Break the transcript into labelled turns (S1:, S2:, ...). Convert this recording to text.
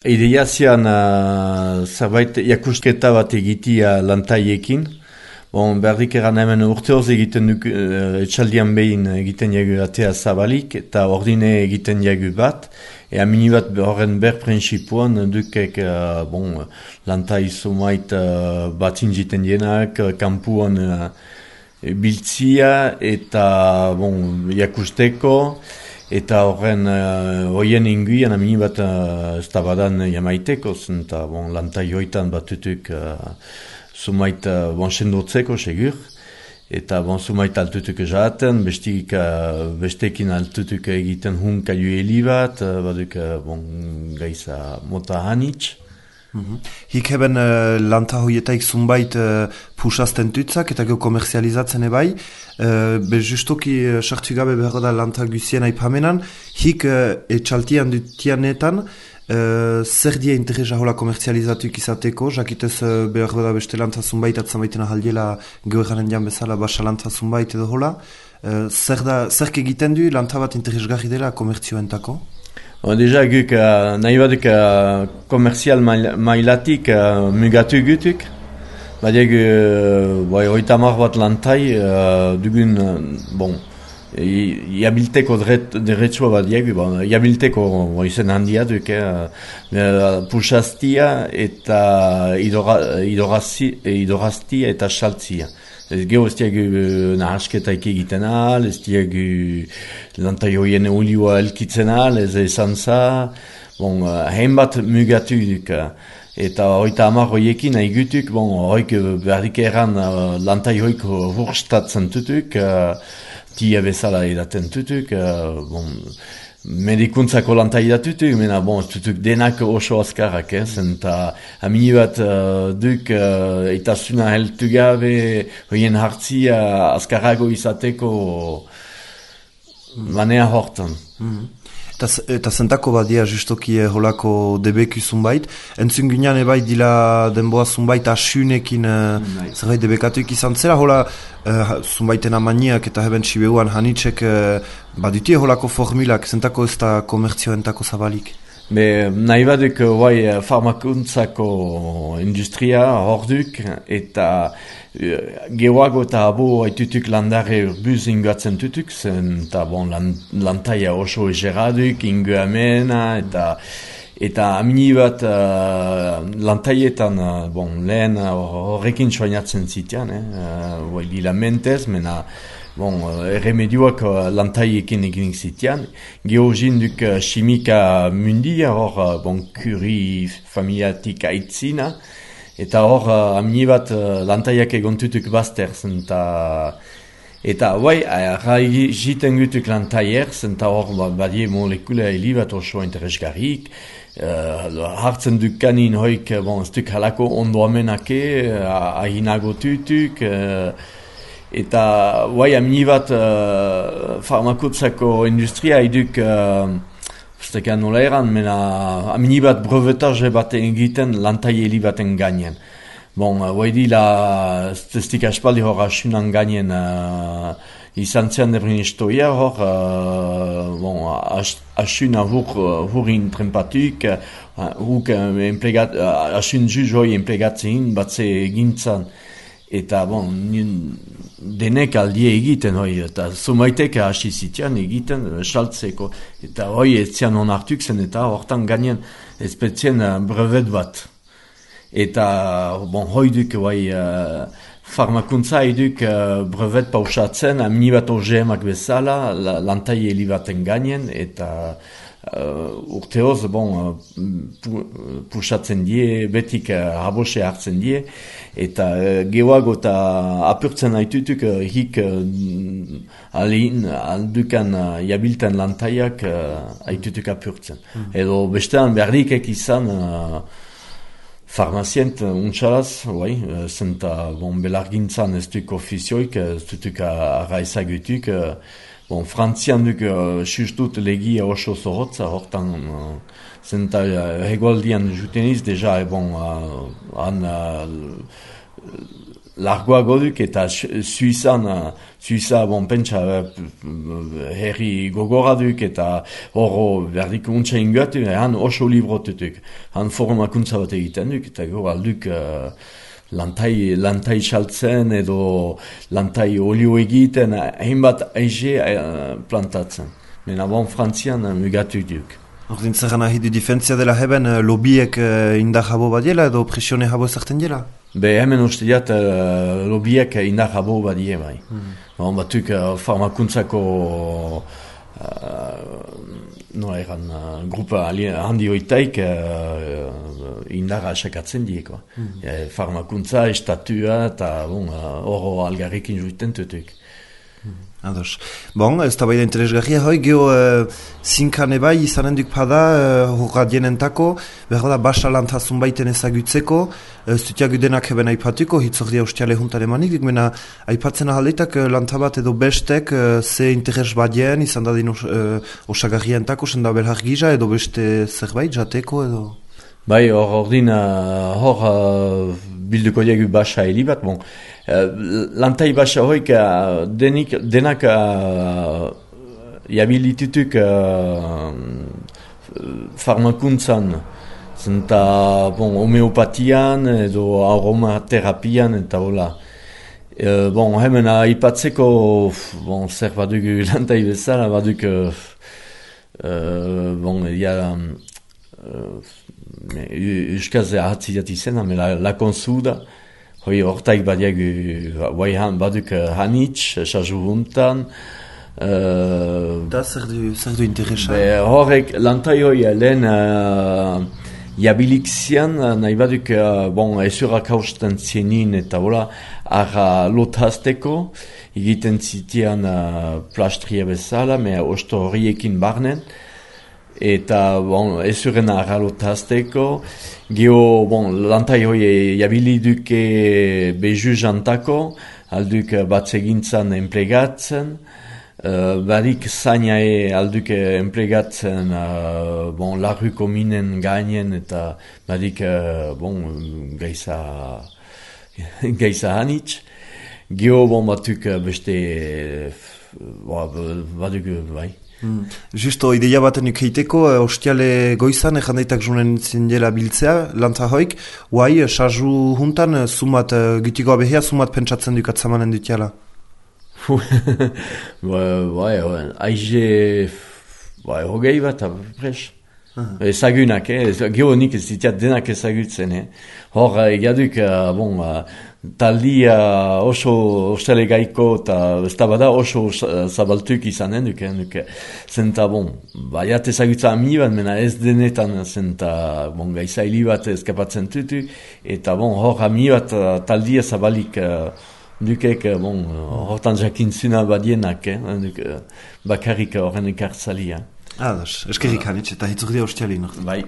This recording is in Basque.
S1: Ideia zian zerbait jakusketa bat egitia lantaiekin. Bon, berdik eran hemen urteoz egiten duk, etxaldian behin egiten jagu atea zabalik, eta ordine egiten jagu bat. Ea mini bat horren berprensipuan dukek lantai sumait batzin jiten dienak, kampuan biltzia eta jakusteko. Eta horren hoien inguian amini bat ez da badan jamaiteko, eta lantai hoitan batutuk sumait sendotzeko segur. Eta sumait altutuk jaten, bestekin altutuk egiten hunka jueli bat, baduk gaiza mota hanitz.
S2: Hik heben lanta hoietaik zunbait pusazten tutzak eta gero komerzializatzen ebai. Justoki sartu gabe behar da lanta guzien aipamenan. Hik etxaltian dutianetan zer dia interesa hola komerzializatuik izateko, jakitez behar da beste lanta zunbait atzamaiten ahaldiela gero eranen dian bezala basa lanta zunbait edo hola. Zerk egiten du lanta bat interesgarri dela komertzioentako?
S1: Deja guk nahi baduk komerzial mailatik mugatu gutuk. Badiak hoitamar bat lantai dugun, jabilteko derretsua badiak, jabilteko izen handia duk, pusaztia eta idoraztia eta saltzia. Ez geho ez diagu nahasketaik egiten ahal, ez diagu lantai hoien olioa elkitzen ahal, ez ezan za. Hainbat mugatu duk. Eta hoita hamar hoiekin nahi gutuk, hoik berdik eran lantai hoik hurstatzen tutuk, tia bezala edaten tutuk, medikuntzako lantai datutuk, mena tutuk denak oso azkarrak, eta amini bat duk itasuna heltu gabe, hoien hartzia azkarrago izateko manea hortan.
S2: Eta zentako badia justoki holako debeku zunbait. Entzun ginean ebai dila denboa zunbait asunekin zerbait debekatuik izan zera. Hola zunbaiten amaniak eta heben sibeuan hanitzek badutie holako formulak zentako ez da komertzioentako zabalik.
S1: Nahi baduk farmakuntzako industria horduk eta geroago eta abo haitutuk landare urbuz ingoatzen tutuk, eta lantaia oso egeraduk, ingoamena, eta amini bat lantaietan lehen horrekin soinatzen zitean, lila mentez, mena erremedioak lantaiekin egin zitean. Georgin duk chimika mundia, hor kuri familiatik aitzina, eta hor amini bat lantaiak egontutuk bazterzen, eta jiten gutuk lantaiers, eta hor badie molekula heli bat oso interesgarrik, hartzen duk kanin hoik ez duk halako ondoamenake, ahinago tutuk, eta amini bat farmakuntzako industria iduk ustekan nola eran, mena amini bat brevetage bat egiten lantai heli baten gainen. Dila testik aspaldi hor asunan gainen izan zean ebrin istoia hor asuna hurin trempatuk, asun juz hoi emplegatzen batze egintzan. Eta denek aldie egiten hoi, eta zumaitek hasi zitean egiten saltzeko. Eta hoi etzian onartuk zen, eta hortan gainen ezpetzien brevet bat. Eta hoi duk farmakuntza eduk brevet pausatzen, amini bat OGM-ak bezala, lantai heli baten gainen, eta urteoz pusatzen die, betik habose hartzen die, eta geoago eta apurtzen haitutuk hik aldukan jabilten lantaiak haitutuk apurtzen. Edo bestean berdikek izan farmazient untxalaz, zenta belargintzan ez duk ofizioik, ez dutuk arraizagutuk, Frantzian duk sustut legia oso zorotza, hortan zenta hegoaldian juteniz, deja han largoago duk eta Suiza, bon, pentsa, herri gogorra duk eta horro berdik untsa ingoatu, han oso librotetuk, han formakuntza bat egiten duk, eta gero alduk lantai saltzen edo lantai olio egiten, hainbat aize plantatzen. Mena bon, Frantzian mugatu duk.
S2: Ordin zerran ahi du difentzia dela heben lobiek indar jabo badiela edo presione jabo zerten dela?
S1: Be hemen uste diat lobiek indar jabo badie bai. Bon, batuk farmakuntzako grupa handi hoitaik indarra asakatzen dieko. Farmakuntza, estatua eta horro algarrikin juiten tutuk.
S2: Ados. Bon, ez da bai da interesgarria hoi, geho zinkan ebai izanen duk pada horra dienentako, behar da basa lantazun baiten ezagutzeko, zutiak udenak eben aipatuko, hitzordia ustiale juntan emanik, dik mena aipatzen ahaletak lantabat edo bestek ze interes badien, izan da din osagarrientako, senda belhar giza edo beste zerbait jateko edo...
S1: Bai, ordin bilduko diegu basa helibat, bon. Lantai basa hoik denak jabilitutuk farmakuntzan, zenta homeopatian edo aromaterapian eta hola. Hemen aipatzeko zer badugu lantai bezala, baduk euskaz ahatziat izena, la konsuda, hoi hortaik badiagu, baduk hanitz, sarzu huntan.
S2: Da zer du interesa?
S1: Horrek, lantai hoi lehen jabilik zian, nahi baduk, esurak hausten zienin eta hola, arra lotazteko, egiten zitian plastria bezala, mea osto horiekin barnen, eta ezuren arralotazteko, geho lantai hoi jabili duke bezu jantako, alduk batzegintzan enplegatzen, barik zainae alduk enplegatzen larruko minen gainen eta barik gaiza hanitz, geho batuk beste baduk bai.
S2: Justo, ideia baten ukeiteko, ostiale goizan, ejandaitak junen zindela biltzea, lanta hoik, guai, sarzu juntan, sumat, gitiko abehea, sumat pentsatzen dukat zamanen dutiala?
S1: Aize, hogei bat, pres. Ezagunak, geonik ez ditiat denak ezagutzen. Hor, egaduk, taldia oso ostele gaiko eta ez da bada oso zabaltuk izanen duke. Zenta, baiat ezagutza ami bat, mena ez denetan zenta gaizaili bat eskapatzen tutu, eta hor ami bat taldia zabalik dukek, hortan jakintzuna badienak, bakarrik horren ekartzalia.
S2: Ados, eskerrik hanitz eta hitzurdia ostiali noch.
S1: Bai.